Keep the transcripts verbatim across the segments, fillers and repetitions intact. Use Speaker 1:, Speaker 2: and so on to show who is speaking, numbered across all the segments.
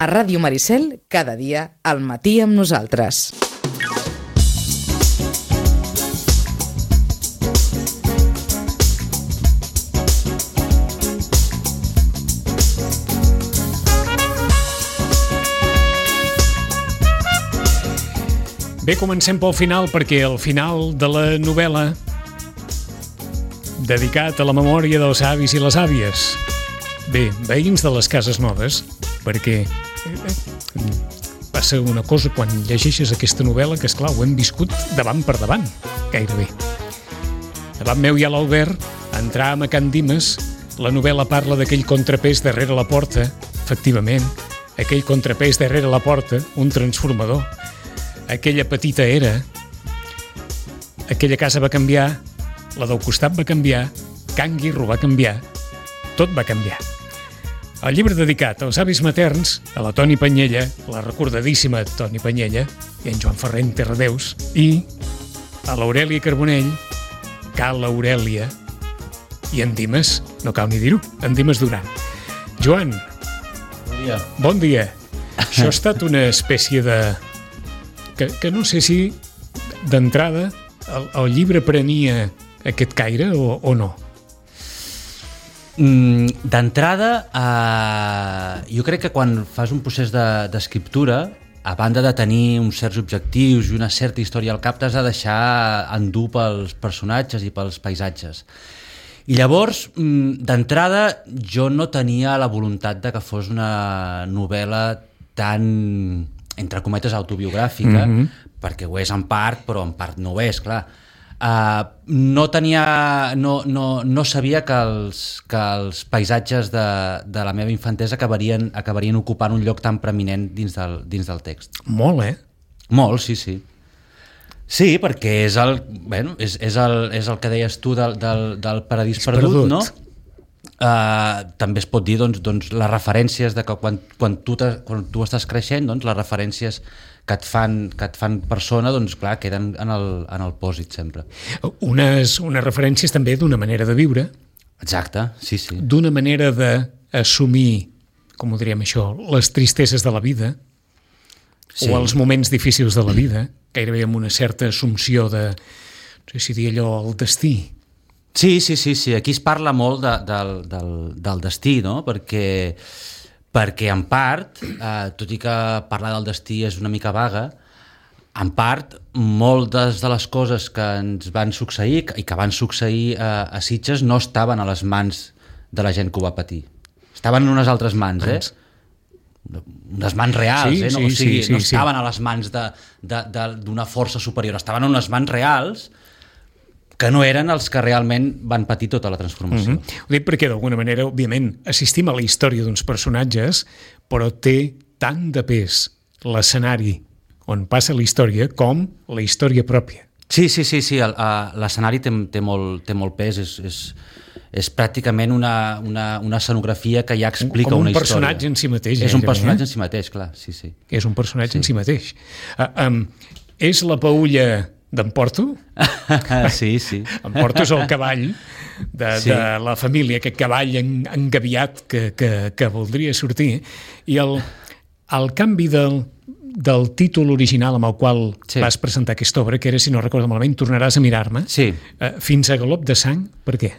Speaker 1: A Ràdio Maricel, cada dia, al matí amb nosaltres.
Speaker 2: Bé, comencem pel final, perquè el final de la novel·la dedicat a la memòria dels avis i les àvies. Bé, veïns de les cases noves, perquè passa una cosa quan llegeixes aquesta novel·la que, esclar, ho hem viscut davant per davant, gairebé. Davant meu hi ha l'Albert, entràvem a Can Dimes, la novel·la parla d'aquell contrapès darrere la porta, efectivament, aquell contrapès darrere la porta, un transformador. Aquella petita era, aquella casa va canviar, la del costat va canviar, Can Guirro va canviar, tot va canviar. El llibre dedicat als avis materns, a la Toni Panyella, la recordadíssima Toni Panyella, i en Joan Ferrer en Terradeus, i a l'Aurèlia Carbonell, Cal Aurèlia, i en Dimes, no cal ni dir-ho, en Dimes Duran. Joan,
Speaker 3: bon dia.
Speaker 2: Bon dia. Això ha estat una espècie de... Que, que no sé si d'entrada el, el llibre prenia aquest caire o, o no.
Speaker 3: Mm, d'entrada, eh, jo crec que quan fas un procés de, d'escriptura, a banda de tenir uns certs objectius i una certa història al cap, t'has de deixar endur pels personatges i pels paisatges. I llavors, mm, d'entrada, jo no tenia la voluntat de que fos una novel·la tan, entre cometes, autobiogràfica, mm-hmm. perquè ho és en part, però en part no ho és, clar. Uh, no tenia, no, no, no sabia que els, que els paisatges de, de la meva infantesa acabarien, acabarien ocupant un lloc tan preeminent dins del, dins del text.
Speaker 2: Molt, eh?
Speaker 3: Molt, sí, sí. Sí, perquè és el, bueno, és, és el, és el que deies tu del, del, del Paradís perdut, perdut, no? Uh, també es pot dir doncs, doncs, les referències de que quan, quan, tu quan tu estàs creixent, doncs, les referències que et fan, que et fan persona, doncs clar, queden en el, en el pòsit sempre.
Speaker 2: Unes, unes referències també d'una manera de viure.
Speaker 3: Exacte, sí, sí.
Speaker 2: D'una manera d'assumir, com ho diríem això, les tristeses de la vida, sí. O els moments difícils de la vida, gairebé amb una certa assumpció de, no sé si dir allò, el destí.
Speaker 3: Sí, sí, sí, sí. Aquí es parla molt de, del, del, del destí, no? Perquè, perquè en part, eh, tot i que parlar del destí és una mica vaga, en part, moltes de les coses que ens van succeir i que van succeir a, a Sitges no estaven a les mans de la gent que ho va patir. Estaven en unes altres mans, eh? Unes mans reals,
Speaker 2: sí,
Speaker 3: eh? No,
Speaker 2: sí,
Speaker 3: o sigui,
Speaker 2: sí, sí,
Speaker 3: no estaven
Speaker 2: sí.
Speaker 3: a les mans de, de, de, d'una força superior, estaven en unes mans reals que no eren els que realment van patir tota la transformació.
Speaker 2: Mm-hmm. Ho dic perquè, d'alguna manera, òbviament, assistim a la història d'uns personatges, però té tant de pes l'escenari on passa la història com la història pròpia.
Speaker 3: Sí, sí, sí, sí. El, uh, l'escenari té, té, molt, té molt pes, és, és, és pràcticament una, una, una escenografia que ja explica
Speaker 2: com un
Speaker 3: una història.
Speaker 2: Com un personatge en si mateix.
Speaker 3: És un personatge
Speaker 2: eh?
Speaker 3: en si mateix, clar, sí, sí.
Speaker 2: És un personatge
Speaker 3: sí.
Speaker 2: en si mateix. Uh, um, és la Paulla d'en Porto?
Speaker 3: Sí, sí.
Speaker 2: En Porto és el cavall de, sí. de la família, aquest cavall en, engaviat que, que, que voldria sortir, i el, el canvi del, del títol original amb el qual sí. vas presentar aquesta obra, que era, si no recordo malament, Tornaràs a mirar-me,
Speaker 3: sí.
Speaker 2: uh, fins a galop de sang, per què?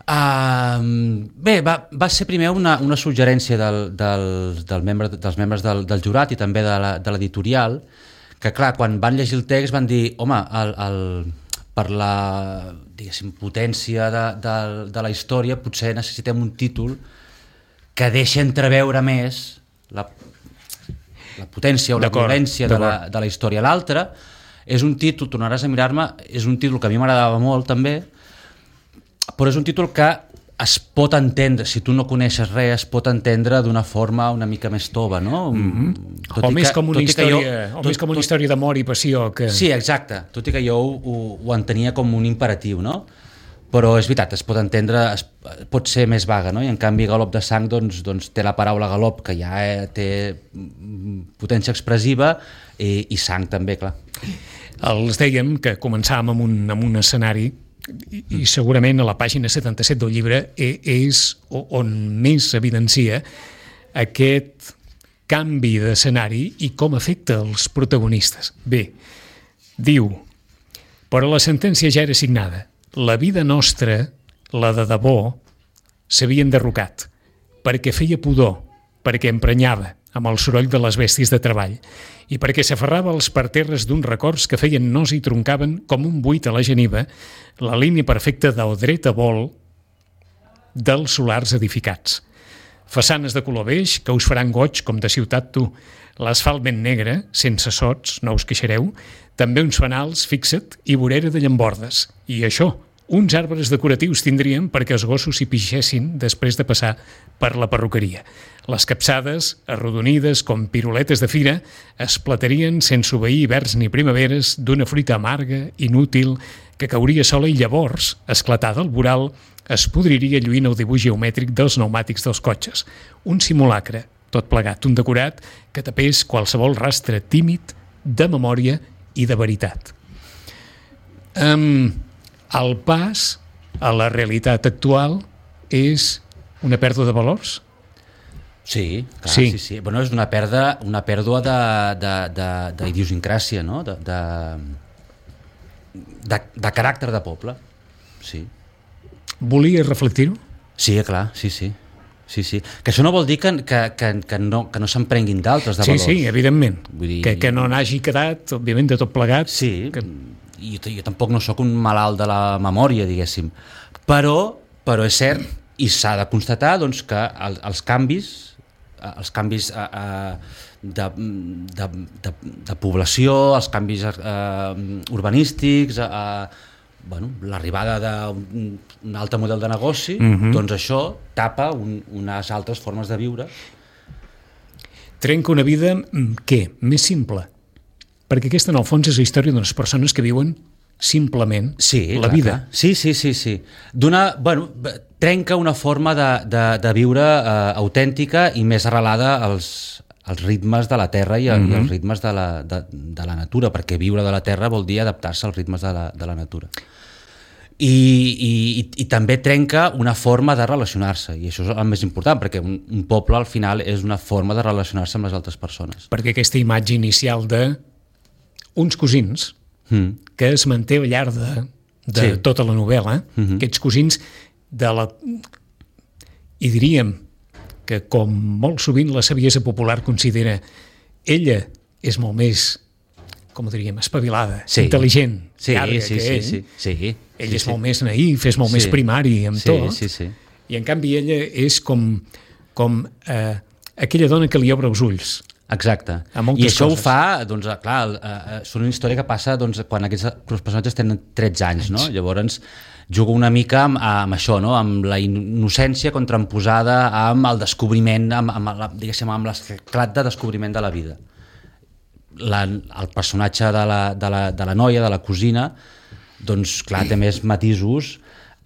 Speaker 3: Uh, bé, va, va ser primer una, una suggerència del, del, del membre, dels membres del, del jurat i també de, la, de l'editorial, que clar, quan van llegir el text van dir, home, el, el, per la, diguéssim, potència de, de, de la història potser necessitem un títol que deixi entreveure més la, la potència o la violència de la, de la història. L'altre és un títol, Tornaràs a mirar-me, és un títol que a mi m'agradava molt també, però és un títol que es pot entendre, si tu no coneixes res, es pot entendre d'una forma una mica més tova, no?
Speaker 2: Mm-hmm. O més com una història, jo, o tot, més com una tot, història d'amor i passió. Que...
Speaker 3: Sí, exacte, tot i que jo ho, ho entenia com un imperatiu, no? Però és veritat, es pot entendre, es, pot ser més vaga, no? I en canvi Galop de sang doncs, doncs té la paraula galop, que ja té potència expressiva, i, i sang també, clar.
Speaker 2: Els dèiem que començàvem amb un, amb un escenari i, i segurament a la pàgina setanta-set del llibre és on més s'evidencia aquest canvi d'escenari i com afecta els protagonistes. Bé, diu, però la sentència ja era signada. La vida nostra, la de debò, s'havia enderrocat, perquè feia pudor, perquè emprenyava amb el soroll de les bèsties de treball i perquè s'aferrava als parterres d'uns records que feien nos i troncaven com un buit a la geniva la línia perfecta del dret a vol dels solars edificats. Façanes de color beix que us faran goig com de ciutat tu, l'asfalt ben negre, sense sots, no us queixareu, també uns fanals, fixa't, i vorera de llambordes. I això, uns arbres decoratius tindrien perquè els gossos s'hi pixessin després de passar per la perruqueria. Les capçades, arrodonides com piruletes de fira, es platarien sense obeir hiverns ni primaveres d'una fruita amarga, inútil, que cauria sola i llavors, esclatada al voral, es podriria lluint el dibuix geomètric dels pneumàtics dels cotxes. Un simulacre, tot plegat, un decorat que tapés qualsevol rastre tímid de memòria i de veritat. Um, el pas a la realitat actual és una pèrdua de valors?
Speaker 3: Sí, clar,
Speaker 2: sí.
Speaker 3: sí, sí. Bueno, és una pèrdua, una pèrdua de, de, de, d'idiosincràsia, no? De, de, de, de caràcter de poble, sí.
Speaker 2: Volia reflectir-ho?
Speaker 3: Sí, clar, sí, sí. Sí, sí. Que això no vol dir que, que, que, que no, que no se'n prenguin d'altres de
Speaker 2: sí,
Speaker 3: valors.
Speaker 2: Sí, sí, evidentment.
Speaker 3: Vull dir...
Speaker 2: Que, que no n'hagi quedat, òbviament, de tot plegat.
Speaker 3: Sí,
Speaker 2: que...
Speaker 3: i jo, jo tampoc no sóc un malalt de la memòria, diguéssim. Però, però és cert, i s'ha de constatar doncs, que el, els canvis, els canvis eh, de, de, de, de població, els canvis eh, urbanístics, eh, bueno, l'arribada d'un altre model de negoci, uh-huh. doncs això tapa un, unes altres formes de viure.
Speaker 2: Trenca una vida, què? Més simple. Perquè aquesta, en el fons, és la història d'unes persones que viuen simplement
Speaker 3: sí,
Speaker 2: la
Speaker 3: clar,
Speaker 2: vida.
Speaker 3: Clar. Sí, sí, sí, sí. D'una, bueno, trenca una forma de, de, de viure eh, autèntica i més arrelada als, als ritmes de la terra i, uh-huh. i als ritmes de la, de, de la natura, perquè viure de la terra vol dir adaptar-se als ritmes de la, de la natura. I, i, i, i també trenca una forma de relacionar-se, i això és el més important, perquè un, un poble al final és una forma de relacionar-se amb les altres persones.
Speaker 2: Perquè aquesta imatge inicial de uns cosins
Speaker 3: mm.
Speaker 2: que es manté al llarg de, de
Speaker 3: sí.
Speaker 2: tota la novel·la, mm-hmm. aquests cosins de la... i diríem que com molt sovint la saviesa popular considera, ella és molt més, com ho diríem, espavilada,
Speaker 3: sí.
Speaker 2: intel·ligent,
Speaker 3: sí,
Speaker 2: llarga
Speaker 3: sí,
Speaker 2: que
Speaker 3: sí,
Speaker 2: ell.
Speaker 3: sí, sí.
Speaker 2: Ell
Speaker 3: sí,
Speaker 2: és
Speaker 3: sí.
Speaker 2: molt més naïf, és molt
Speaker 3: sí.
Speaker 2: més primari amb
Speaker 3: sí,
Speaker 2: tot,
Speaker 3: sí, sí.
Speaker 2: i en canvi ella és com, com eh, aquella dona que li obre els ulls.
Speaker 3: Exacte. I això coses. Ho fa, doncs, clar, eh, és una història que passa doncs, quan aquests els personatges tenen tretze anys, no? Llavors juga una mica amb, amb això, no? Amb la innocència contramposada amb el descobriment, amb, amb, la, diguéssim, amb l'esclat de descobriment de la vida. La, el personatge de la, de, la, de la noia, de la cosina, doncs, clar, té més matisos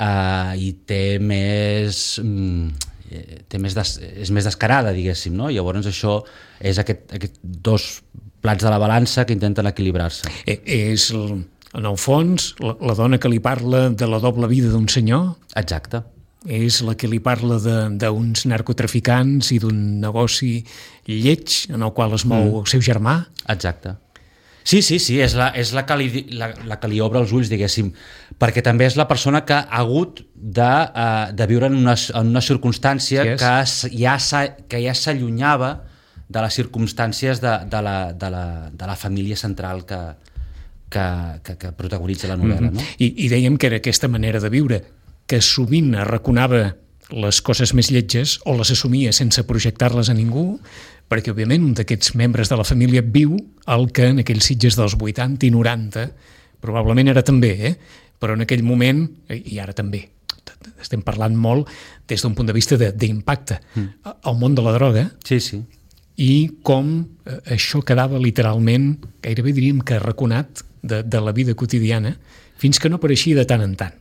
Speaker 3: eh, i té més... Mm, té més des, és més descarada, diguéssim, no? Llavors això és aquest, aquest dos plats de la balança que intenten equilibrar-se.
Speaker 2: Eh, és, en el fons, la, la dona que li parla de la doble vida d'un senyor.
Speaker 3: Exacte.
Speaker 2: És la que li parla d'uns narcotraficants i d'un negoci lleig en el qual es mou mm. el seu germà.
Speaker 3: Exacte. Sí, sí, sí, és la, és la, que li, la, la que li obre els ulls, diguéssim, perquè també és la persona que ha hagut de, uh, de viure en una, en una circumstància sí que ja, que ja s'allunyava de les circumstàncies de, de, la, de, la, de la família central que, que, que, que protagonitza la novel·la. Mm-hmm.
Speaker 2: No? I, I dèiem que era aquesta manera de viure, que sovint arraconava les coses més lletges o les assumia sense projectar-les a ningú, perquè, òbviament, un d'aquests membres de la família viu el que en aquells Sitges dels vuitanta i noranta probablement era també, eh? Però en aquell moment, i ara també, estem parlant molt des d'un punt de vista d'impacte mm. al món de la droga,
Speaker 3: sí, sí.
Speaker 2: I com això quedava literalment, gairebé diríem que arraconat de, de la vida quotidiana, fins que no apareixia de tant en tant.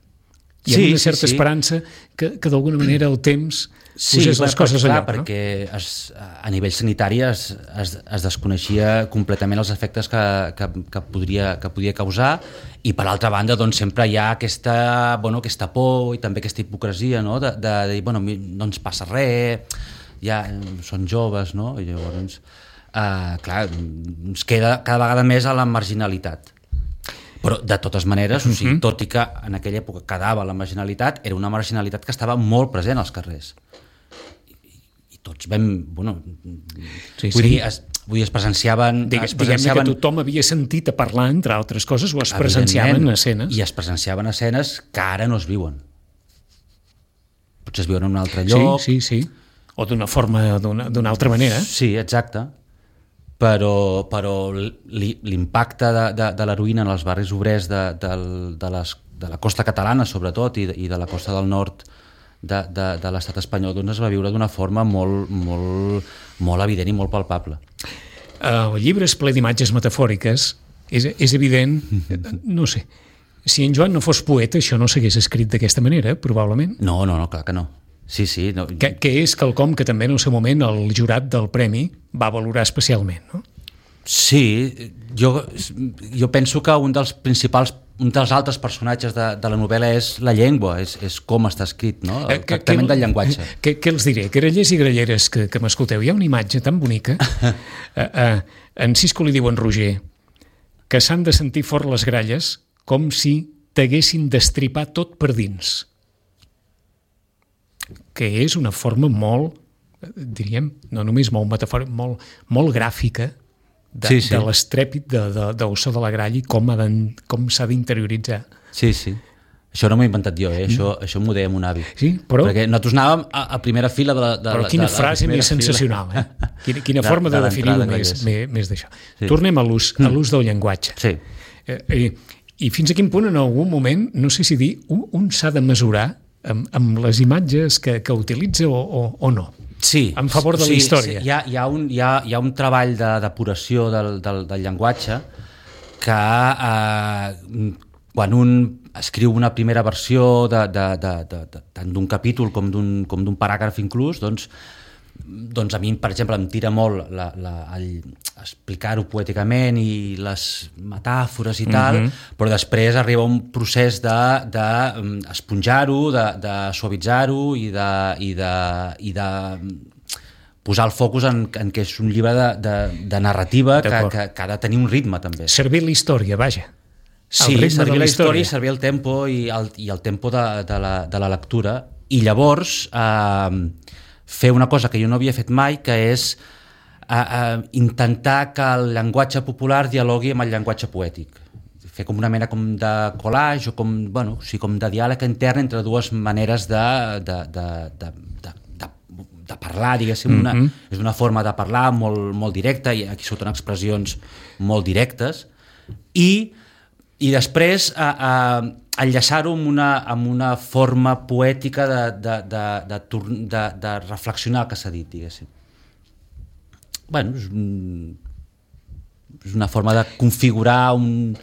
Speaker 2: Hi ha sí, una certa sí, sí. esperança que, que d'alguna manera el temps
Speaker 3: sí,
Speaker 2: posés les coses
Speaker 3: clar,
Speaker 2: allò.
Speaker 3: No? Perquè es, a nivell sanitari es, es, es desconeixia completament els efectes que, que, que, podria, que podia causar, i per altra banda doncs, sempre hi ha aquesta, bueno, aquesta por i també aquesta hipocresia, no? de, de dir, bueno, no ens passa res, ja són joves, no? I llavors, uh, clar, ens queda cada vegada més a la marginalitat. Però, de totes maneres, o sigui, tot i que en aquella època quedava la marginalitat, era una marginalitat que estava molt present als carrers. I, i tots vam... Bueno,
Speaker 2: sí,
Speaker 3: vull
Speaker 2: sí.
Speaker 3: dir, es, vull dir, es presenciaven...
Speaker 2: Digues,
Speaker 3: es presenciaven...
Speaker 2: Diguem que tothom havia sentit a parlar, entre altres coses, o es presenciaven escenes.
Speaker 3: I es presenciaven escenes que ara no es viuen. Potser es viuen en un altre lloc.
Speaker 2: Sí, sí, sí. O d'una forma, d'una altra manera.
Speaker 3: Sí, exacte. Però, però l'impacte de, de, de l'heroïna en els barris obrers de, de, de, les, de la costa catalana, sobretot, i de, i de la costa del nord de, de, de l'estat espanyol, doncs es va viure d'una forma molt, molt, molt evident i molt palpable.
Speaker 2: El llibre és ple d'imatges metafòriques. És, és evident, no sé, si en Joan no fos poeta, això no s'hagués escrit d'aquesta manera, probablement.
Speaker 3: No, no, no, clar que no. Sí, sí. No.
Speaker 2: Que, que és quelcom que també en el seu moment el jurat del premi va valorar especialment, no?
Speaker 3: Sí, jo, jo penso que un dels principals, un dels altres personatges de, de la novel·la és la llengua, és, és com està escrit, no? El
Speaker 2: que,
Speaker 3: tractament
Speaker 2: que,
Speaker 3: del llenguatge.
Speaker 2: Què, què els diré? Grallers i gralleres que, que m'escolteu, hi ha una imatge tan bonica. uh, uh, en Cisco li diu en Roger que s'han de sentir fort les gralles com si t'haguessin d'estripar tot per dins. Que és una forma molt, diríem, no només molt metafòrica, molt, molt gràfica de, sí, sí. de l'estrèpit de, de, de so de la gralla i com, ha com s'ha d'interioritzar.
Speaker 3: Sí, sí. Això no m'ho he inventat jo, eh? això, mm. això m'ho deia mon avi.
Speaker 2: Sí, però...
Speaker 3: Perquè nosaltres anàvem a, a primera fila de la... De,
Speaker 2: però quina
Speaker 3: de, de
Speaker 2: frase més sensacional, eh? Quina, quina de, forma de, de definir-ho més, més, més d'això. Sí. Tornem a l'ús mm. a l'ús del llenguatge.
Speaker 3: Sí.
Speaker 2: Eh, eh, I fins a quin punt en algun moment, no sé si dir, un, un s'ha de mesurar amb, amb les imatges que, que utilitza o, o, o no.
Speaker 3: Sí.
Speaker 2: En favor de
Speaker 3: sí,
Speaker 2: la història.
Speaker 3: Sí, hi, ha, hi, ha un, hi, ha, hi ha un treball de depuració del, del, del llenguatge que eh, quan un escriu una primera versió de, de, de, de, de, tant d'un capítol com d'un com d'un paràgraf inclús, doncs, doncs a mi, per exemple, em tira molt la, la, el, explicar-ho poèticament i les metàfores i tal, mm-hmm. però després arriba un procés d'esponjar-ho, de, de, de suavitzar-ho i de, i de, i de posar el focus en, en que és un llibre de, de, de narrativa que, que, que ha de tenir un ritme també.
Speaker 2: Servir la història, vaja.
Speaker 3: Sí, servir la, la història i servir el tempo i el, i el tempo de, de, la, de la lectura. I llavors eh, fer una cosa que jo no havia fet mai, que és eh, eh, intentar que el llenguatge popular dialogui amb el llenguatge poètic. Fer com una mena com de collage o com, bueno, o sigui, com de diàleg intern entre dues maneres de, de, de, de, de, de, de parlar, diguéssim. Una, mm-hmm. És una forma de parlar molt, molt directa, i aquí surten expressions molt directes, i i després a, a enllaçar-ho amb una, amb una forma poètica de, de, de, de, de, de reflexionar el que s'ha dit, diguéssim. Bueno, és, un, és una forma de configurar un,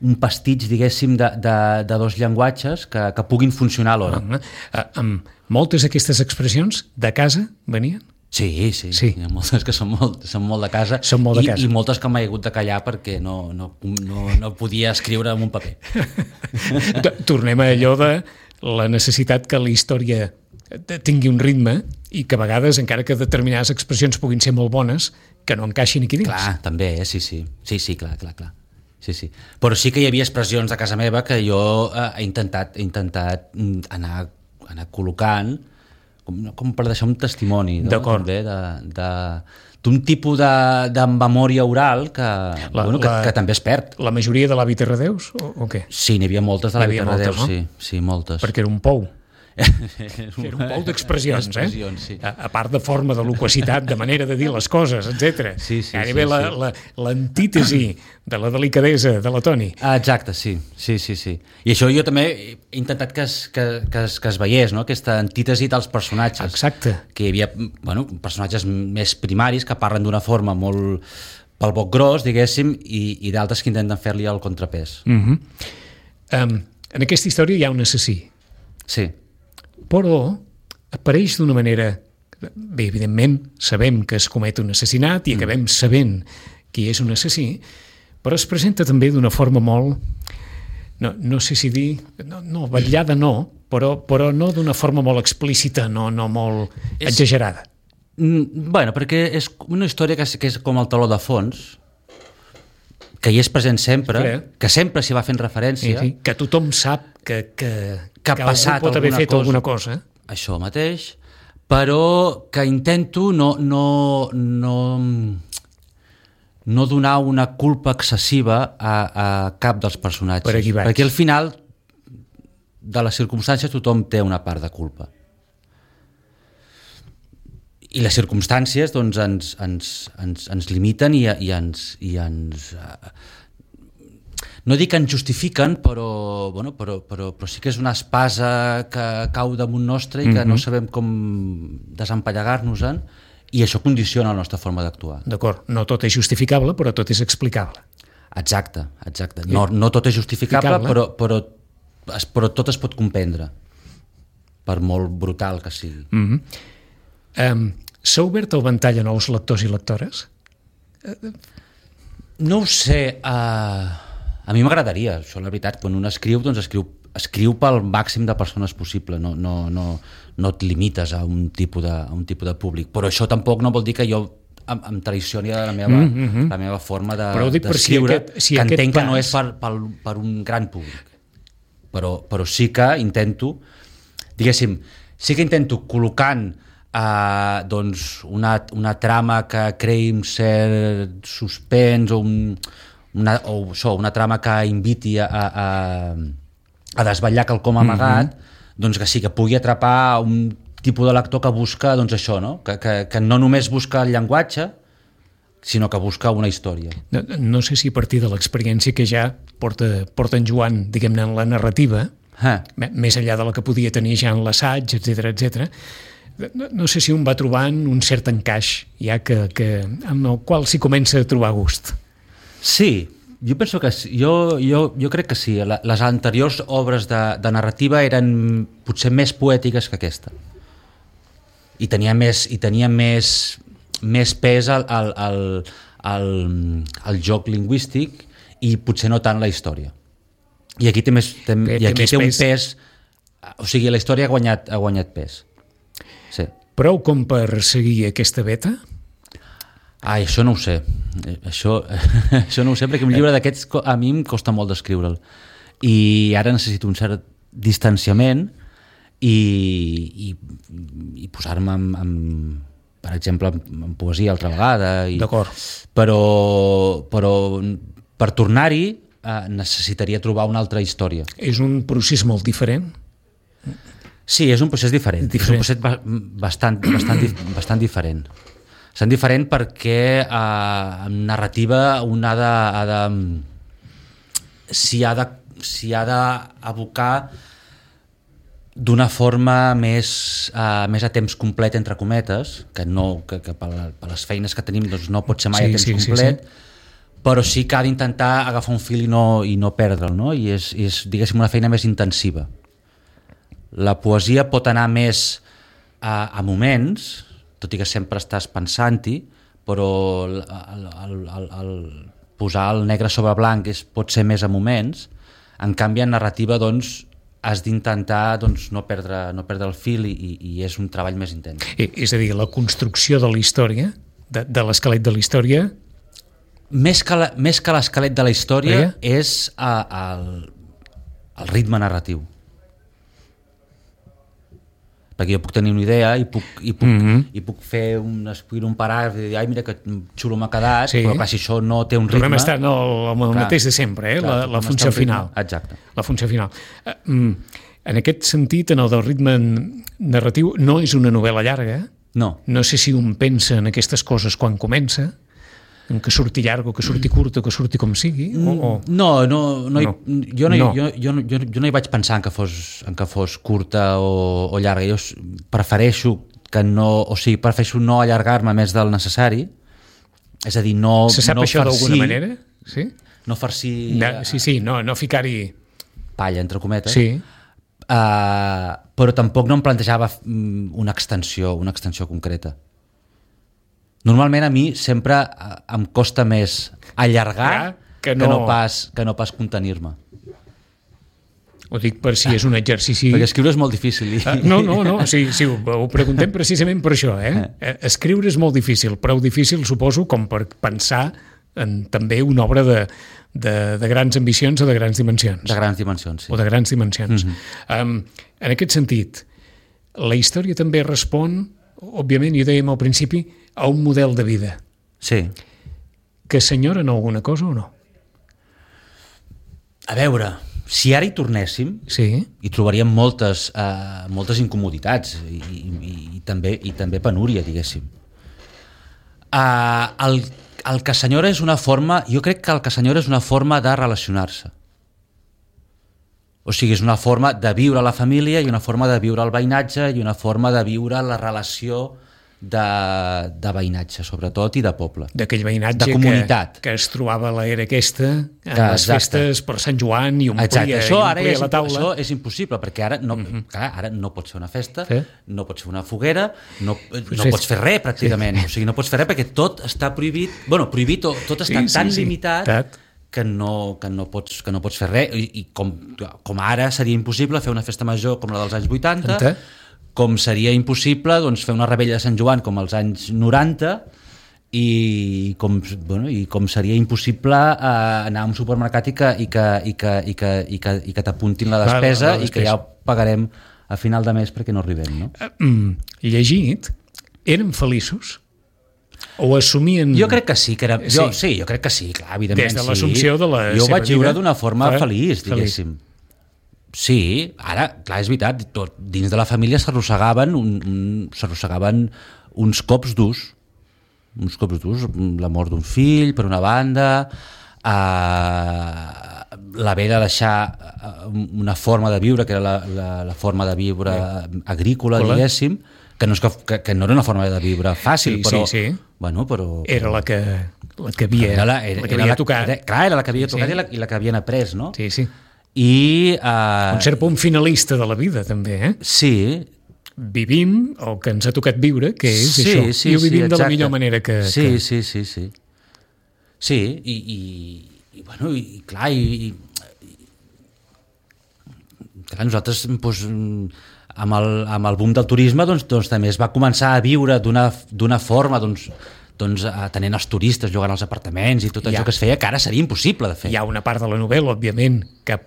Speaker 3: un pastitx, diguéssim, de, de, de dos llenguatges que, que puguin funcionar alhora.
Speaker 2: Uh, amb moltes d'aquestes expressions de casa venien?
Speaker 3: Sí, sí, sí. Hi ha moltes que són molt, són molt de casa,
Speaker 2: són molt de casa.
Speaker 3: I, i moltes que m'he hagut de callar perquè no, no, no, no podia escriure en un paper.
Speaker 2: Tornem a allò de la necessitat que la història tingui un ritme i que a vegades, encara que determinades expressions puguin ser molt bones, que no encaixin aquí dins.
Speaker 3: Clar, també, eh? sí, sí. Sí, sí, clar, clar, clar. Sí, sí. Però sí que hi havia expressions de casa meva que jo eh, he intentat, he intentat anar, anar col·locant Com, com per deixar un testimoni, no?
Speaker 2: D'acord.
Speaker 3: També de, de, d'un tipus de, de memòria oral que, la, bueno, que, la, que també es perd.
Speaker 2: La majoria de l'Avi Terradeus, o, o què?
Speaker 3: Sí, n'hi havia moltes de l'Avi Terradeus, no? sí, sí, moltes.
Speaker 2: Perquè era un pou. Era un pou d'expressions, eh?
Speaker 3: Sí.
Speaker 2: A, a part de forma, de loquacitat, de manera de dir les coses, etcètera.
Speaker 3: Sí, sí,
Speaker 2: Gairebé
Speaker 3: sí,
Speaker 2: la,
Speaker 3: sí.
Speaker 2: la, l'antítesi de la delicadesa de la Toni.
Speaker 3: Ah, exacte, sí. sí, sí, sí. I això jo també he intentat que es, que, que es, que es veiés, no? Aquesta antítesi dels personatges.
Speaker 2: Exacte.
Speaker 3: Que hi havia, bueno, personatges més primaris que parlen d'una forma molt pel boc gros, diguéssim, i, i d'altres que intenten fer-li el contrapès.
Speaker 2: Mm-hmm. um, en aquesta història hi ha un assassí.
Speaker 3: Sí.
Speaker 2: Però apareix d'una manera... Bé, evidentment, sabem que es comet un assassinat i acabem sabent qui és un assassí, però es presenta també d'una forma molt... No, no sé si dir... No, no vetllada no, però, però no d'una forma molt explícita, no, no molt
Speaker 3: és...
Speaker 2: exagerada.
Speaker 3: Mm, bueno, perquè és una història que és, que és com el taló de fons, que hi és present sempre,
Speaker 2: sí.
Speaker 3: que sempre s'hi va fent referència.
Speaker 2: Sí, sí. Que tothom sap que, que,
Speaker 3: que ha
Speaker 2: que
Speaker 3: passat
Speaker 2: algú pot haver fet
Speaker 3: cosa,
Speaker 2: alguna cosa.
Speaker 3: Això mateix, però que intento no, no, no, no donar una culpa excessiva a, a cap dels personatges.
Speaker 2: Per aquí vaig.
Speaker 3: Perquè al final de les circumstàncies tothom té una part de culpa. I les circumstàncies doncs, ens, ens, ens, ens limiten i, i ens... I ens uh, no dic que ens justifiquen, però, bueno, però, però, però sí que és una espasa que cau damunt nostre i que mm-hmm. no sabem com desempallegar-nos-en, i això condiciona la nostra forma d'actuar.
Speaker 2: D'acord, no tot és justificable, però tot és explicable.
Speaker 3: Exacte, exacte. No, no tot és justificable, però, però, però tot es pot comprendre, per molt brutal que sigui.
Speaker 2: Mm-hmm. Um, S'ha obert el ventall a nous lectors i lectores?
Speaker 3: No ho sé. Uh, a mi m'agradaria, això la veritat. Quan un escriu, doncs escriu, escriu pel màxim de persones possible. No, no, no, no et limites a un, tipus de, a un tipus de públic. Però això tampoc no vol dir que jo em, em traicioni la meva, mm-hmm. la meva forma de, d'escriure, si si que entenc pas... que no és per, per, per un gran públic. Però, però sí que intento, diguéssim, sí que intento col·locant Uh, doncs una, una trama que creï un cert suspens o, un, una, o això, una trama que inviti a, a, a desvetllar quelcom amagat, mm-hmm. doncs que sí, que pugui atrapar un tipus de lector que busca doncs això, no? Que, que, que no només busca el llenguatge, sinó que busca una història.
Speaker 2: No, no sé si a partir de l'experiència que ja porta, porta en Joan, diguem-ne, en la narrativa,
Speaker 3: ah.
Speaker 2: més enllà de la que podia tenir ja en l'assaig, etcètera, etcètera, no, no sé si un va trobant un cert encaix, ja que, que amb el qual s'hi comença a trobar gust.
Speaker 3: Sí, jo penso que sí. Jo, jo, jo crec que sí. Les anteriors obres de, de narrativa eren potser més poètiques que aquesta. I tenia més, i tenia més, més pes al, al, al, al, al joc lingüístic i potser no tant la història. I aquí té, més, té, té, i aquí té, té un pes. pes... O sigui, la història ha guanyat, ha guanyat pes. Sí.
Speaker 2: Prou com per seguir aquesta beta?
Speaker 3: Ai, això no ho sé. Això, això no ho sé, perquè un llibre d'aquests a mi em costa molt d'escriure'l. I ara necessito un cert distanciament i, i, i posar-me en, en, per exemple, en poesia altra vegada. I,
Speaker 2: D'acord.
Speaker 3: Però, però per tornar-hi eh, necessitaria trobar una altra història.
Speaker 2: És un procés molt diferent?
Speaker 3: Sí, és un procés diferent, diferent. És un procés bastant, bastant, bastant diferent. Bastant diferent perquè eh, en narrativa un ha de, ha de s'hi ha de s'hi ha d'abocar d'una forma més, eh, més a temps complet, entre cometes, que, no, que, que per, la, per les feines que tenim doncs no pot ser mai sí, a temps sí, complet, sí, sí. Però sí que ha d'intentar agafar un fil i no, i no perdre'l, no? I és, és, diguéssim, una feina més intensiva. La poesia pot anar més a, a moments, tot i que sempre estàs pensant-hi, però el, el, el, el posar el negre sobre blanc és, pot ser més a moments. En canvi, en narrativa doncs, has d'intentar doncs, no, perdre, no perdre el fil i, i és un treball més intens.
Speaker 2: I, és a dir, la construcció de la història, de, de l'esquelet de la història...
Speaker 3: Més que, la, més que l'esquelet de la història eh? és a, a, el, el ritme narratiu. Perquè jo puc tenir una idea i puc, i puc, mm-hmm. i puc fer un, escriure un paràgraf i dir, ai, mira que xulo m'ha quedat, sí. Però clar, si això no té un ritme... Tornem
Speaker 2: a estar no, el, el mateix de sempre, eh? Clar, la, la funció final.
Speaker 3: Exacte.
Speaker 2: La funció final. Uh, en aquest sentit, en el del ritme narratiu, no és una novel·la llarga.
Speaker 3: No.
Speaker 2: No sé si un pensa en aquestes coses quan comença, en que surti llarg o que surti curt o que surti com sigui? O, o...
Speaker 3: No, no, no, hi,
Speaker 2: no.
Speaker 3: Jo, no,
Speaker 2: no.
Speaker 3: Jo, jo, jo, jo no hi vaig pensar en que fos, en que fos curta o, o llarga. Jo prefereixo que no, o sigui, prefereixo no allargar-me més del necessari. És a dir, no
Speaker 2: se sap
Speaker 3: no
Speaker 2: això
Speaker 3: farcir,
Speaker 2: d'alguna manera? Sí?
Speaker 3: No farcir...
Speaker 2: No, sí, sí, no, no ficar-hi...
Speaker 3: Palla, entre cometes.
Speaker 2: Sí.
Speaker 3: Uh, però tampoc no em plantejava una extensió, una extensió concreta. Normalment a mi sempre em costa més allargar ja, que, no... que, no pas, que no pas contenir-me.
Speaker 2: Ho dic per si és un exercici...
Speaker 3: Perquè escriure és molt difícil. I...
Speaker 2: Uh, no, no, no, sí, sí, ho, ho preguntem precisament per això, eh? eh? Escriure és molt difícil, prou difícil, suposo, com per pensar en també una obra de, de, de grans ambicions o de grans dimensions.
Speaker 3: De grans dimensions, sí.
Speaker 2: O de grans dimensions.
Speaker 3: Mm-hmm.
Speaker 2: um, en aquest sentit, la història també respon, òbviament, i ho dèiem al principi, a un model de vida.
Speaker 3: Sí.
Speaker 2: Que s'enyoren alguna cosa o no?
Speaker 3: A veure, si ara hi tornéssim,
Speaker 2: sí.
Speaker 3: hi trobaríem moltes, uh, moltes incomoditats i, i, i, també, i també penúria, diguéssim. Uh, el, el que s'enyora és una forma, jo crec que el que s'enyora és una forma de relacionar-se. O sigui, és una forma de viure la família i una forma de viure el veïnatge i una forma de viure la relació de, de veïnatge, sobretot, i de poble.
Speaker 2: D'aquell veïnatge
Speaker 3: de comunitat.
Speaker 2: Que, que es trobava a l'era aquesta, en
Speaker 3: que,
Speaker 2: les festes per Sant Joan, i omplia,
Speaker 3: exacte. Això,
Speaker 2: i
Speaker 3: ara
Speaker 2: omplia
Speaker 3: és,
Speaker 2: la taula.
Speaker 3: Això és impossible, perquè ara no, mm-hmm. clar, ara no pots fer una festa, sí. no pots fer una foguera, no, no sí. pots fer res, pràcticament. Sí. O sigui, no pots fer res perquè tot està prohibit, bueno, prohibit, tot, tot està sí, tan sí, limitat sí. que no, que, no pots, que no pots fer res, i, i com, com ara seria impossible fer una festa major com la dels anys vuitanta, Ente? Com seria impossible doncs, fer una rebella de Sant Joan com als anys noranta, i com, bueno, i com seria impossible eh, anar a un supermercat i que, i que, i que, i que, i que, i que t'apuntin la despesa, la, la despesa i que ja ho pagarem a final de mes perquè no arribem, no?
Speaker 2: Mm, llegit, eren feliços? O assumien...
Speaker 3: Jo crec que sí, que era... jo, sí. sí, jo crec que sí, clar, evidentment.
Speaker 2: Des de l'assumpció
Speaker 3: sí.
Speaker 2: de la
Speaker 3: jo
Speaker 2: seva
Speaker 3: vaig viure
Speaker 2: vida,
Speaker 3: d'una forma
Speaker 2: fa...
Speaker 3: feliç, diguéssim. Feliç. Sí, ara, clar, és veritat, tot, dins de la família s'arrossegaven un, un, s'arrossegaven uns cops durs, uns cops durs, la mort d'un fill, per una banda, eh, l'haver de deixar una forma de viure, que era la, la, la forma de viure agrícola, Hola. diguéssim, que no, és que, que, que no era una forma de viure fàcil,
Speaker 2: sí,
Speaker 3: però,
Speaker 2: sí, sí.
Speaker 3: Bueno, però...
Speaker 2: Era la que, la que havia,
Speaker 3: era la, era,
Speaker 2: la que
Speaker 3: era
Speaker 2: havia
Speaker 3: la,
Speaker 2: tocat.
Speaker 3: Era, clar, era la que havia tocat
Speaker 2: sí.
Speaker 3: i, la, i la que havien après, no?
Speaker 2: Sí, sí.
Speaker 3: I, uh,
Speaker 2: un cert punt finalista de la vida, també, eh?
Speaker 3: Sí.
Speaker 2: Vivim el que ens ha tocat viure, que és
Speaker 3: sí,
Speaker 2: això.
Speaker 3: Sí,
Speaker 2: I ho vivim
Speaker 3: sí,
Speaker 2: de la millor manera que...
Speaker 3: Sí,
Speaker 2: que...
Speaker 3: sí, sí, sí. Sí, i, i, i bueno, i clar, i, i clar, nosaltres, doncs, amb el, amb el boom del turisme, doncs, doncs també es va començar a viure d'una d'una forma, doncs, doncs atenent els turistes, jugant als apartaments i tot això que es feia, que ara seria impossible de fer.
Speaker 2: Hi ha una part de la novel·la, òbviament, que,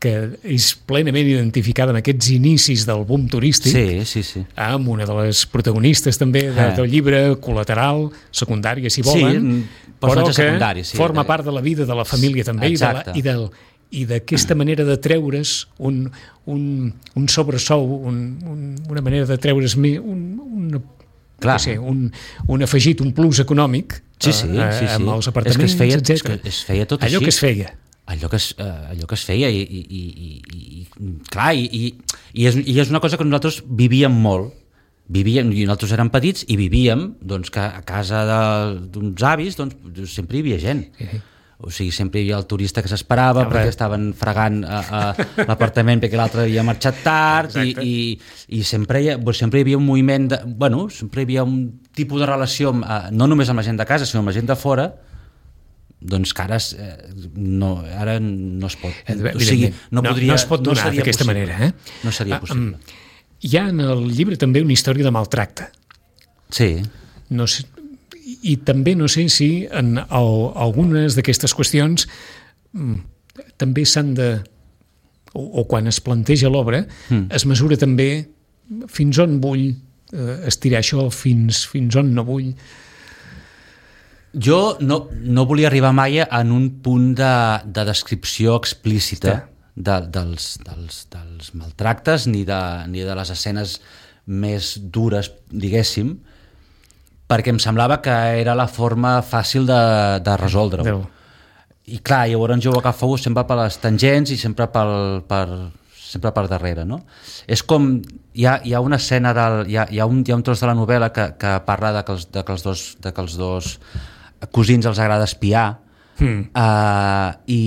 Speaker 2: que és plenament identificada en aquests inicis del boom turístic,
Speaker 3: sí, sí, sí.
Speaker 2: amb una de les protagonistes també de, del llibre, col·lateral, secundària, si volen,
Speaker 3: sí,
Speaker 2: però que
Speaker 3: sí,
Speaker 2: forma de... part de la vida de la família també,
Speaker 3: exacte.
Speaker 2: i de la, i del i d'aquesta manera de treure's un, un, un sobresou, un, un, una manera de treure's un, una Clar. Sé, un, un afegit, un plus econòmic
Speaker 3: sí, sí,
Speaker 2: eh,
Speaker 3: sí, sí.
Speaker 2: amb els apartaments,
Speaker 3: és que es feia,
Speaker 2: etcètera.
Speaker 3: És que es feia tot
Speaker 2: allò
Speaker 3: així.
Speaker 2: que es feia.
Speaker 3: Allò que es, uh, allò que es feia i, i, i, i, i clar, i, i, i, és, i és una cosa que nosaltres vivíem molt. Vivíem, i nosaltres érem petits i vivíem doncs, que a casa d'uns avis doncs, sempre hi havia gent. Sí. O sigui, sempre hi havia el turista que s'esperava perquè estaven fregant a, a l'apartament perquè l'altre havia marxat tard i, i, i sempre, hi, sempre hi havia un moviment de, bueno, sempre hi havia un tipus de relació amb, no només amb la gent de casa sinó amb la gent de fora, doncs que ara, eh, no, ara no es pot, o sigui, no, podria,
Speaker 2: no es pot donar
Speaker 3: no
Speaker 2: d'aquesta manera, eh?
Speaker 3: No seria possible.
Speaker 2: Ah, um, hi ha en el llibre també una història de maltracte.
Speaker 3: Sí.
Speaker 2: No sé, i també no sé si en el, algunes d'aquestes qüestions mm, també s'han de o, o quan es planteja l'obra mm. es mesura també fins on vull eh, estirar això, fins, fins on no vull.
Speaker 3: Jo no, no volia arribar mai en un punt de, de descripció explícita de, dels, dels, dels maltractes ni de, ni de les escenes més dures, diguéssim, perquè em semblava que era la forma fàcil de, de resoldre-ho. I clar, llavors jo ho agafo sempre per les tangents i sempre, pel, per, sempre per darrere, no? És com, hi ha, hi ha una escena, del, hi, ha, hi, ha un, hi ha un tros de la novel·la que, que parla de que, els, de, que els dos, de que els dos cosins els agrada espiar mm. uh, i,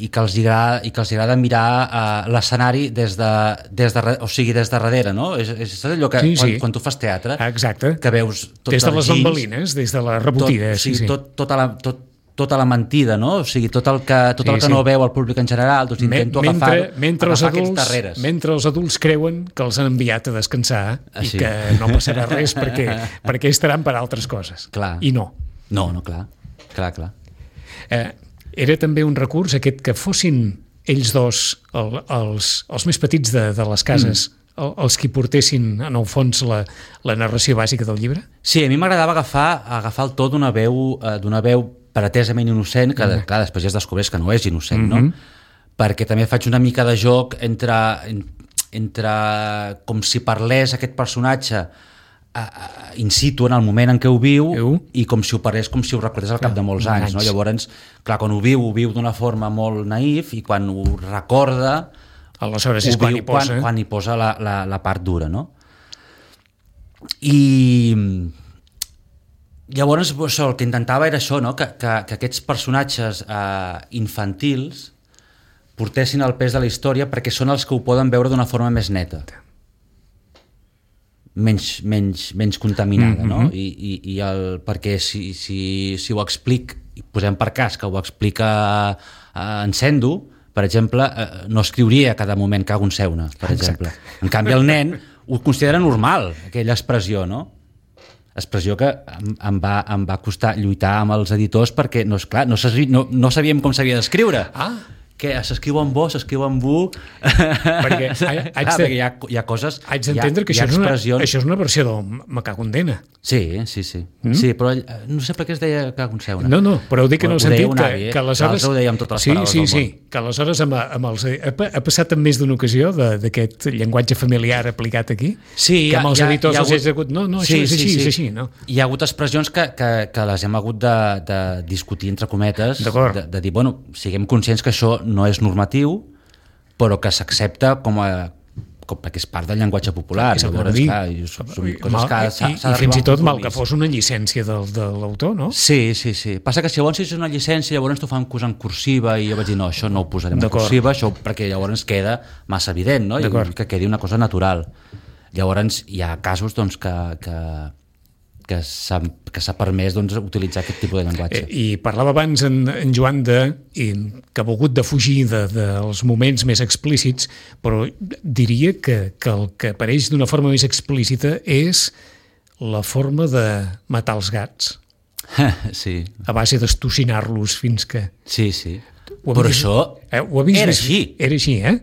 Speaker 3: i, que els agrada, i que els agrada mirar uh, l'escenari des de, des de, o sigui, des de darrere, no? És, és allò que
Speaker 2: sí,
Speaker 3: quan,
Speaker 2: sí.
Speaker 3: quan tu fas teatre,
Speaker 2: exacte.
Speaker 3: que veus tot
Speaker 2: des de les
Speaker 3: gins,
Speaker 2: bambalines, des de la rebotida,
Speaker 3: tot,
Speaker 2: sí, sí.
Speaker 3: Tot, tota la, tot, tota la mentida, no? O sigui, tot el que, tot
Speaker 2: Sí,
Speaker 3: el que
Speaker 2: sí.
Speaker 3: no veu el públic en general, doncs intento
Speaker 2: mentre,
Speaker 3: agafar,
Speaker 2: mentre, els
Speaker 3: agafar aquests
Speaker 2: adults,
Speaker 3: darreres.
Speaker 2: mentre els adults creuen que els han enviat a descansar
Speaker 3: Ah,
Speaker 2: i
Speaker 3: sí.
Speaker 2: que no passarà res perquè, perquè estaran per altres coses.
Speaker 3: Clar.
Speaker 2: I no.
Speaker 3: No, no, clar. Clar, clar.
Speaker 2: Eh, era també un recurs aquest que fossin ells dos, el, els, els més petits de, de les cases, mm. el, els qui portessin, en el fons, la, la narració bàsica del llibre?
Speaker 3: Sí, a mi m'agradava agafar, agafar el to d'una veu, eh, d'una veu pretesament innocent, que mm. clar, després ja es descobreix que no és innocent, mm-hmm. no? Perquè també faig una mica de joc entre, entre com si parlés aquest personatge Uh, in situ en el moment en què ho viu
Speaker 2: Eu.
Speaker 3: i com si ho parés, com si ho recordés al cap de molts anys,
Speaker 2: anys.
Speaker 3: no? Llavors, clar, quan ho viu, ho viu d'una forma molt naïf i quan ho recorda
Speaker 2: Aleshores
Speaker 3: ho
Speaker 2: és quan
Speaker 3: viu
Speaker 2: hi posa.
Speaker 3: quan, quan hi posa la, la, la part dura, no? I llavors això, el que intentava era això, no? que, que, que aquests personatges eh, infantils portessin el pes de la història perquè són els que ho poden veure d'una forma més neta, menys, menys, menys contaminada, no?
Speaker 2: Mm-hmm.
Speaker 3: I, i, i el, perquè si, si, si ho explic, i posem per cas que ho explica eh, en Sendo, per exemple, eh, no escriuria a cada moment cago en seuna, per
Speaker 2: Exacte.
Speaker 3: exemple. En canvi, el nen ho considera normal, aquella expressió, no? Expressió que em, em, va, em va costar lluitar amb els editors perquè, no, esclar, no, no, no sabíem com s'havia d'escriure.
Speaker 2: Ah,
Speaker 3: Que s'escriu en bo, s'escriu en bu...
Speaker 2: Perquè haig
Speaker 3: Clar,
Speaker 2: de-
Speaker 3: perquè hi ha, hi ha coses...
Speaker 2: haig d'entendre que
Speaker 3: hi ha,
Speaker 2: això és, una,
Speaker 3: expressions...
Speaker 2: això és una versió del Me cago en Dena.
Speaker 3: Sí, sí, sí. Mm? Sí, però eh, no sé per què es deia cago en seuna.
Speaker 2: No, no, però ho dic en
Speaker 3: Ho
Speaker 2: el
Speaker 3: deia
Speaker 2: sentit
Speaker 3: un
Speaker 2: que,
Speaker 3: avi, eh?
Speaker 2: que aleshores...
Speaker 3: L'altre ho deia amb totes les
Speaker 2: sí,
Speaker 3: paraules
Speaker 2: sí,
Speaker 3: del
Speaker 2: sí,
Speaker 3: món.
Speaker 2: que aleshores amb, amb els, ha, ha passat en més d'una ocasió de- d'aquest llenguatge familiar aplicat aquí,
Speaker 3: Sí,
Speaker 2: que amb els
Speaker 3: hi ha-
Speaker 2: editors
Speaker 3: hi ha
Speaker 2: els
Speaker 3: hagut-
Speaker 2: has hagut... No, no, això
Speaker 3: Sí,
Speaker 2: és
Speaker 3: sí,
Speaker 2: així,
Speaker 3: sí.
Speaker 2: és així, no?
Speaker 3: Hi ha hagut expressions que, que, que les hem hagut de, de discutir entre cometes,
Speaker 2: D'acord.
Speaker 3: de, de dir, bueno, siguem conscients que això no és normatiu, però que s'accepta com a com, perquè és part del llenguatge popular.
Speaker 2: És el que
Speaker 3: Llavors,
Speaker 2: dic.
Speaker 3: clar, i són, són coses
Speaker 2: Mal-
Speaker 3: que
Speaker 2: i,
Speaker 3: s'ha
Speaker 2: i,
Speaker 3: s'ha
Speaker 2: i fins i
Speaker 3: d'arribar a un
Speaker 2: tot mal que
Speaker 3: compromís.
Speaker 2: fos una llicència del, de l'autor, no?
Speaker 3: Sí, sí, sí. Passa que si llavors és una llicència, llavors t'ho fan posar en cursiva i jo vaig dir, no, això no ho posarem en
Speaker 2: D'acord.
Speaker 3: cursiva, això perquè llavors queda massa evident, no? I
Speaker 2: D'acord.
Speaker 3: que quedi una cosa natural. Llavors hi ha casos doncs, que, que, que s'ha que s'ha permès doncs, utilitzar aquest tipus de llenguatge.
Speaker 2: Eh, I parlava abans en, en Joan de, i, que ha volgut de fugir de, dels moments més explícits, però diria que, que el que apareix d'una forma més explícita és la forma de matar els gats,
Speaker 3: Sí,
Speaker 2: a base d'estocinar-los fins que...
Speaker 3: sí, sí.
Speaker 2: Ho
Speaker 3: Però
Speaker 2: havies-
Speaker 3: això
Speaker 2: Eh, ho havies
Speaker 3: era
Speaker 2: vist?
Speaker 3: així.
Speaker 2: Era així, eh?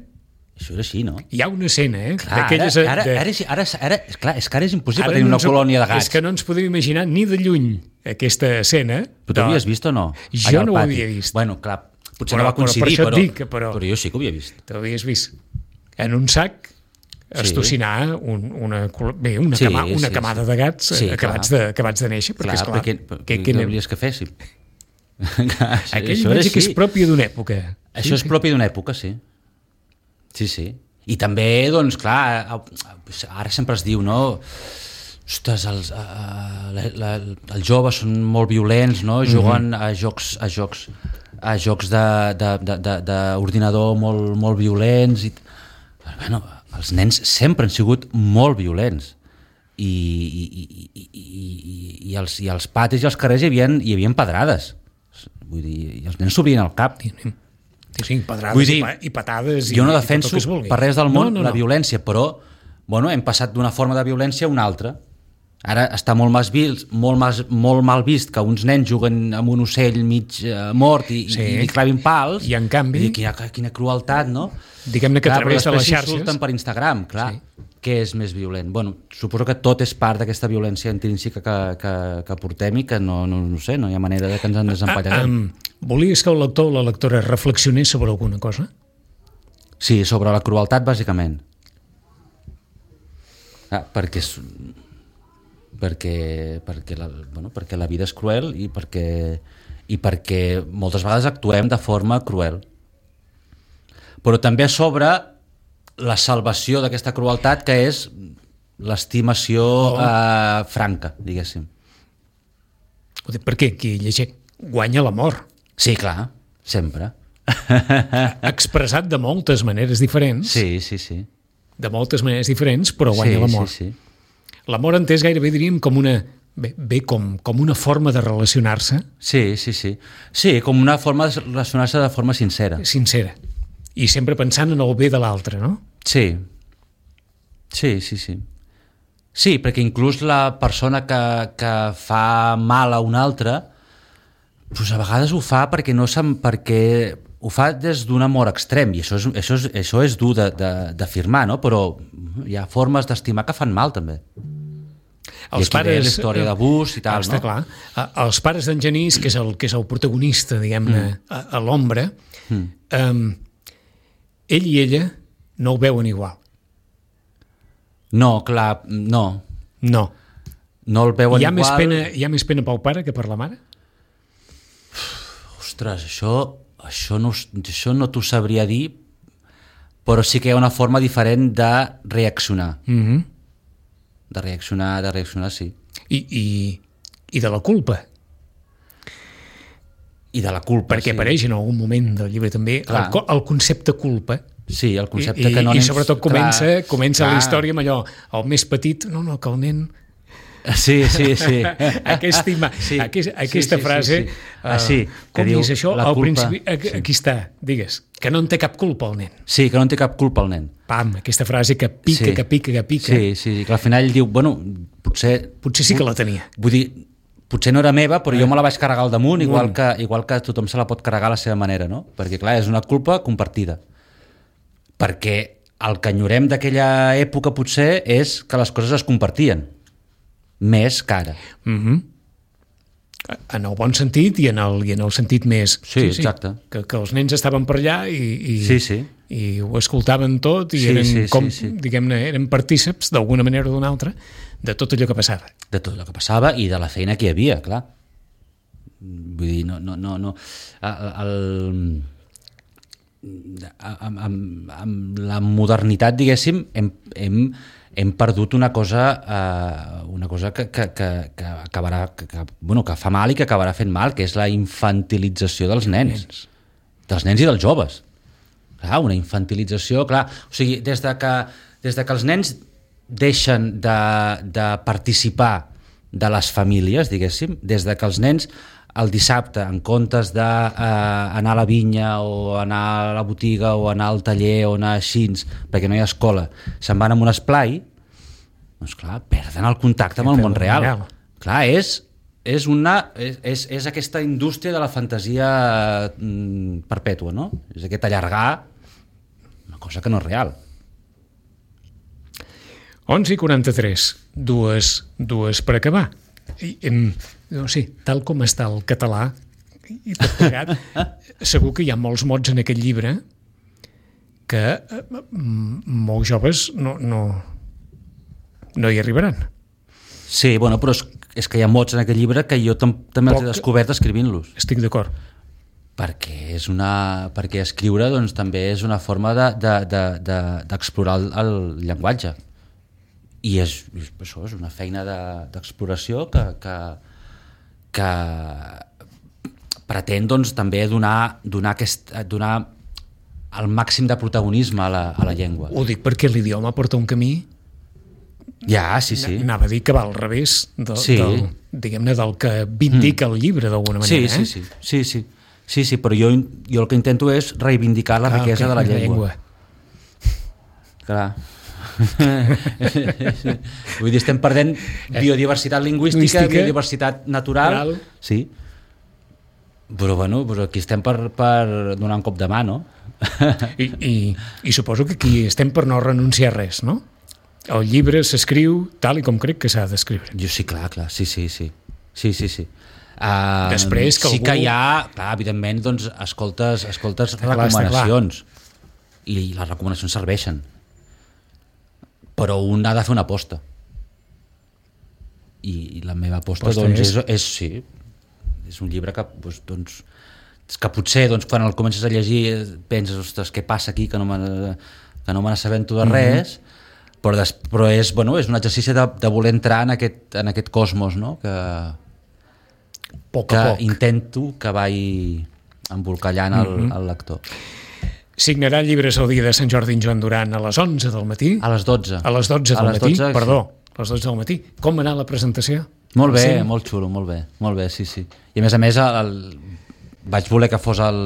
Speaker 3: Això era així, no?
Speaker 2: Hi ha una escena, eh?
Speaker 3: Clar, ara,
Speaker 2: d'aquelles,
Speaker 3: ara,
Speaker 2: de-
Speaker 3: ara, ara, ara, és, clar, és que ara és impossible
Speaker 2: ara
Speaker 3: tenir
Speaker 2: no
Speaker 3: una
Speaker 2: ens-
Speaker 3: colònia de gats.
Speaker 2: És que no ens podem imaginar ni de lluny aquesta escena.
Speaker 3: Però tu havies vist o no?
Speaker 2: Jo
Speaker 3: Allà al
Speaker 2: no ho
Speaker 3: pati.
Speaker 2: havia vist.
Speaker 3: Bueno, clar, potser
Speaker 2: Però-
Speaker 3: no va
Speaker 2: però per
Speaker 3: coincidir,
Speaker 2: això et
Speaker 3: però,
Speaker 2: dic que, però-
Speaker 3: però jo sí que ho havia vist.
Speaker 2: T'ho havies vist. En un sac estocinar un, una, col- bé, una,
Speaker 3: Sí,
Speaker 2: cama, una
Speaker 3: sí,
Speaker 2: camada
Speaker 3: sí.
Speaker 2: de gats
Speaker 3: Sí,
Speaker 2: eh, acabats, de, acabats de néixer, perquè,
Speaker 3: Clar,
Speaker 2: esclar,
Speaker 3: perquè,
Speaker 2: que,
Speaker 3: què,
Speaker 2: que,
Speaker 3: què volies que féssim? Clar, això-
Speaker 2: aquell
Speaker 3: això era
Speaker 2: veig que és
Speaker 3: així.
Speaker 2: propi d'una època.
Speaker 3: Això és propi d'una època, sí. Sí, sí. I també, doncs, clar, ara sempre es diu, no? Ostres, els, uh, la, la, els joves són molt violents, no? Juguen a jocs a jocs a jocs d'ordinador molt, molt violents. I, bueno, els nens sempre han sigut molt violents. I, i, i, i, i, i, els, i als patis i als carrers hi havia, hi havia pedrades. Vull dir, i els nens s'obrien al cap.
Speaker 2: Sí, sí, pedrades
Speaker 3: Vull dir,
Speaker 2: i, pa, i patades.
Speaker 3: Jo no
Speaker 2: i,
Speaker 3: defenso
Speaker 2: i tot el que es vulgui.
Speaker 3: per res del món
Speaker 2: no, no,
Speaker 3: la
Speaker 2: no.
Speaker 3: violència, però bueno, hem passat d'una forma de violència a una altra. Ara està molt, més vist, molt, més, molt mal vist que uns nens juguen amb un ocell mig eh, mort i,
Speaker 2: Sí.
Speaker 3: i li clavin pals.
Speaker 2: I, en canvi-
Speaker 3: I quina, quina crueltat, no?
Speaker 2: Diguem-ne que
Speaker 3: Clar,
Speaker 2: a través de
Speaker 3: però
Speaker 2: les
Speaker 3: després
Speaker 2: xarxes...
Speaker 3: s'insulten per Instagram, clar.
Speaker 2: Sí.
Speaker 3: Què és més violent? Bueno, suposo que tot és part d'aquesta violència intrínseca que, que, que portem i que no, no, no sé, no hi ha manera de que ens en desempallarem.
Speaker 2: um, volies que el lector o la lectora reflexionés sobre alguna cosa?
Speaker 3: Sí, sobre la crueltat, bàsicament. Ah, perquè, és, perquè, perquè, la, bueno, perquè la vida és cruel i perquè, i perquè moltes vegades actuem de forma cruel. Però també a sobre la salvació d'aquesta crueltat, que és l'estimació
Speaker 2: Oh.
Speaker 3: eh, franca, diguéssim.
Speaker 2: Ho dic perquè qui llegeix guanya l'amor,
Speaker 3: Sí, clar, sempre.
Speaker 2: expressat de moltes maneres diferents,
Speaker 3: Sí, sí, sí.
Speaker 2: de moltes maneres diferents, però guanya
Speaker 3: sí,
Speaker 2: l'amor.
Speaker 3: Sí, sí.
Speaker 2: L'amor entès gairebé diríem com una Bé, bé com, com una forma de relacionar-se.
Speaker 3: Sí, sí, sí. Sí, com una forma de relacionar-se de forma sincera.
Speaker 2: Sincera. I sempre pensant en el bé de l'altre, no?
Speaker 3: Sí. Sí, sí, sí. Sí, perquè inclús la persona que, que fa mal a una altra, doncs a vegades ho fa perquè no se'n, perquè ho fa des d'un amor extrem, i això és, això és, això és dur d'afirmar, no? Però hi ha formes d'estimar que fan mal, també.
Speaker 2: Els
Speaker 3: I aquí
Speaker 2: pares,
Speaker 3: ve la història d'abús i tal,
Speaker 2: està
Speaker 3: no?
Speaker 2: Clar. Els pares d'en Genís, que és el, que és el protagonista, diguem-ne, mm. a, a l'ombra, mm. um, ell i ella no ho veuen igual.
Speaker 3: No, clar, no.
Speaker 2: No.
Speaker 3: No el veuen
Speaker 2: hi ha
Speaker 3: igual.
Speaker 2: Més pena, hi ha més pena pel pare que per la mare?
Speaker 3: Ostres, això, això no, això no t'ho sabria dir, però sí que hi ha una forma diferent de reaccionar.
Speaker 2: Mhm.
Speaker 3: De reaccionar, de reaccionar, sí.
Speaker 2: I, i, i de la culpa.
Speaker 3: I de la culpa,
Speaker 2: Perquè
Speaker 3: sí.
Speaker 2: apareix en algun moment del llibre també el, el concepte culpa.
Speaker 3: Sí, el concepte
Speaker 2: I,
Speaker 3: que no
Speaker 2: i,
Speaker 3: anem...
Speaker 2: i sobretot comença,
Speaker 3: clar,
Speaker 2: comença
Speaker 3: clar.
Speaker 2: la història amb allò, el més petit, no, no, que el nen...
Speaker 3: Sí, sí, sí.
Speaker 2: Aquesta, ima...
Speaker 3: sí.
Speaker 2: Aquest, aquesta
Speaker 3: sí, sí,
Speaker 2: frase,
Speaker 3: sí, sí. Ah, sí,
Speaker 2: com
Speaker 3: diu,
Speaker 2: és això? Al
Speaker 3: culpa...
Speaker 2: principi, aquí, aquí està, digues, que no en té cap culpa el nen.
Speaker 3: Sí, que no en té cap culpa el nen.
Speaker 2: Pam, aquesta frase que pica,
Speaker 3: sí.
Speaker 2: que pica, que pica.
Speaker 3: Sí, sí, que al final diu, bueno, potser...
Speaker 2: Potser sí que la tenia.
Speaker 3: Vull dir, potser no era meva, però jo me la vaig carregar al damunt, igual que, igual que tothom se la pot carregar a la seva manera, no? Perquè, clar, és una culpa compartida. Perquè el que enyorem d'aquella època potser és que les coses es compartien, més que ara.
Speaker 2: Mhm. En el bon sentit i en el, i en el sentit més...
Speaker 3: Sí, sí exacte.
Speaker 2: Sí, que, que els nens estaven per allà i, i,
Speaker 3: sí, sí.
Speaker 2: i ho escoltaven tot i
Speaker 3: sí,
Speaker 2: eren,
Speaker 3: sí,
Speaker 2: com,
Speaker 3: sí, sí.
Speaker 2: diguem-ne, eren partíceps d'alguna manera o d'una altra de tot allò que passava.
Speaker 3: De tot allò que passava i de la feina que hi havia, clar. Vull dir, no... no, no, no. El, amb, amb, amb la modernitat, diguéssim, hem, hem, hem perdut una cosa, eh, una cosa que, que, que, que, acabarà, que, que, bueno, que fa mal i que acabarà fent mal, que és la infantilització dels nens. nens. Dels nens i dels joves. Clar, una infantilització, clar. O sigui, des de que, des de que els nens deixen de, de participar de les famílies, diguéssim, des de que els nens el dissabte, en comptes d'anar eh, a la vinya o anar a la botiga o anar al taller o anar així, perquè no hi ha escola, se'n van a un esplai, doncs clar, perden el contacte amb el món real. real. Clar, és, és, una, és, és, és aquesta indústria de la fantasia mm, perpètua, no? És aquest allargar una cosa que no és real.
Speaker 2: onze i quaranta-tres, dues, dues per acabar. I, em, no sé, tal com està el català i tot plegat, segur que hi ha molts mots en aquest llibre que eh, molts joves no, no, no hi arribaran.
Speaker 3: Sí, bueno, però és, és que hi ha mots en aquest llibre que jo tam també els he descobert escrivint-los.
Speaker 2: Estic d'acord.
Speaker 3: Perquè, és una, perquè escriure doncs, també és una forma d'explorar de, de, de, el, el llenguatge. I és, això és una feina d'exploració de, que, que, que pretén doncs, també donar, donar, aquest, donar el màxim de protagonisme a la, a la llengua.
Speaker 2: Ho dic perquè l'idioma porta un camí,
Speaker 3: ja, sí, sí.
Speaker 2: Anava a dir que va al revés del,
Speaker 3: sí.
Speaker 2: del, diguem-ne, del que vindica mm. el llibre d'alguna manera.
Speaker 3: Sí, sí,
Speaker 2: eh?
Speaker 3: sí, sí, sí. Sí, sí, però jo, jo el que intento és reivindicar la ah, riquesa okay, de la llengua. llengua. Clar. Vull dir, estem perdent biodiversitat lingüística, lingüística biodiversitat natural, natural. Sí. Però bueno, però aquí estem per, per donar un cop de mà, no?
Speaker 2: I, i, i suposo que aquí estem per no renunciar a res, no? El llibre s'escriu tal i com crec que s'ha d'escriure.
Speaker 3: Jo sí, clar, clar, sí, sí, sí. Sí, sí, sí. Uh,
Speaker 2: Després que
Speaker 3: sí
Speaker 2: algú...
Speaker 3: que hi ha, clar, evidentment, doncs, escoltes, escoltes està recomanacions clar, i les recomanacions serveixen, però un ha de fer una aposta i, i la meva aposta, aposta doncs, és... És, és sí, és un llibre que, doncs, doncs, que potser doncs, quan el comences a llegir penses, ostres, què passa aquí que no me, que no me n'assabento de res, mm-hmm. però, des, però és, bueno, és un exercici de, de voler entrar en aquest, en aquest cosmos, no? que
Speaker 2: poc
Speaker 3: que
Speaker 2: a poc
Speaker 3: intento que vagi embolcallant el, mm-hmm. el lector.
Speaker 2: Signarà llibres el dia de Sant Jordi en Joan Duran a les onze del matí?
Speaker 3: A les dotze.
Speaker 2: A les dotze del
Speaker 3: a les
Speaker 2: matí,
Speaker 3: dotze,
Speaker 2: perdó,
Speaker 3: sí.
Speaker 2: a les dotze del matí. Com va anar la presentació?
Speaker 3: Molt bé,
Speaker 2: cent.
Speaker 3: molt xulo, molt bé, molt bé, sí, sí. I a més a més, el, el, vaig voler que fos el...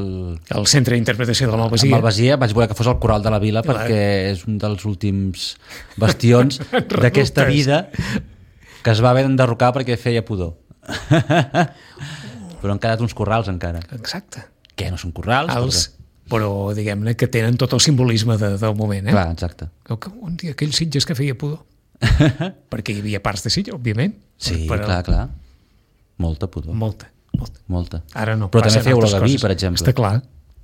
Speaker 2: El centre d'interpretació de la Malvasia.
Speaker 3: El Malvasia, vaig voler que fos el Coral de la Vila
Speaker 2: Clar.
Speaker 3: perquè és un dels últims bastions d'aquesta vida que es va haver d'enderrocar perquè feia pudor. Però han quedat uns corrals encara.
Speaker 2: Exacte.
Speaker 3: Que no són corrals?
Speaker 2: Els, però diguem-ne que tenen tot el simbolisme de, del moment. Eh?
Speaker 3: Clar, exacte.
Speaker 2: Un dia aquells Sitges que feia pudor. Perquè hi havia parts de Sitges, òbviament.
Speaker 3: Sí,
Speaker 2: però,
Speaker 3: clar, clar. Molta pudor.
Speaker 2: Molta, molta.
Speaker 3: Molta.
Speaker 2: Ara no.
Speaker 3: Però també
Speaker 2: passen
Speaker 3: feu olor
Speaker 2: altres
Speaker 3: de vi,
Speaker 2: coses.
Speaker 3: per exemple.
Speaker 2: Està clar,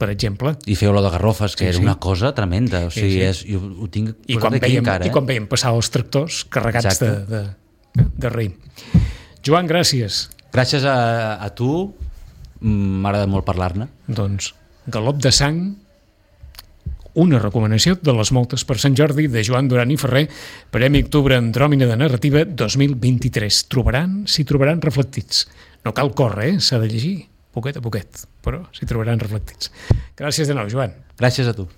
Speaker 2: per exemple.
Speaker 3: I feu olor de garrofes, que
Speaker 2: Sí,
Speaker 3: era
Speaker 2: sí.
Speaker 3: una cosa tremenda. O sigui,
Speaker 2: Sí, sí.
Speaker 3: És, jo ho tinc
Speaker 2: I
Speaker 3: posat
Speaker 2: quan,
Speaker 3: aquí
Speaker 2: veiem,
Speaker 3: encara.
Speaker 2: I
Speaker 3: Eh?
Speaker 2: quan veiem passar els tractors carregats de,
Speaker 3: Exacte.
Speaker 2: de, de raïm. Joan, gràcies.
Speaker 3: Gràcies a, a tu, m'agrada molt parlar-ne.
Speaker 2: Doncs Galop de sang, una recomanació de les moltes per Sant Jordi de Joan Duran i Ferrer, Premi Octubre Andròmina de Narrativa dos mil vint-i-tres. Trobaran, s'hi trobaran reflectits. No cal córrer, eh? S'ha de llegir, poquet a poquet, però s'hi trobaran reflectits. Gràcies de nou, Joan.
Speaker 3: Gràcies a tu.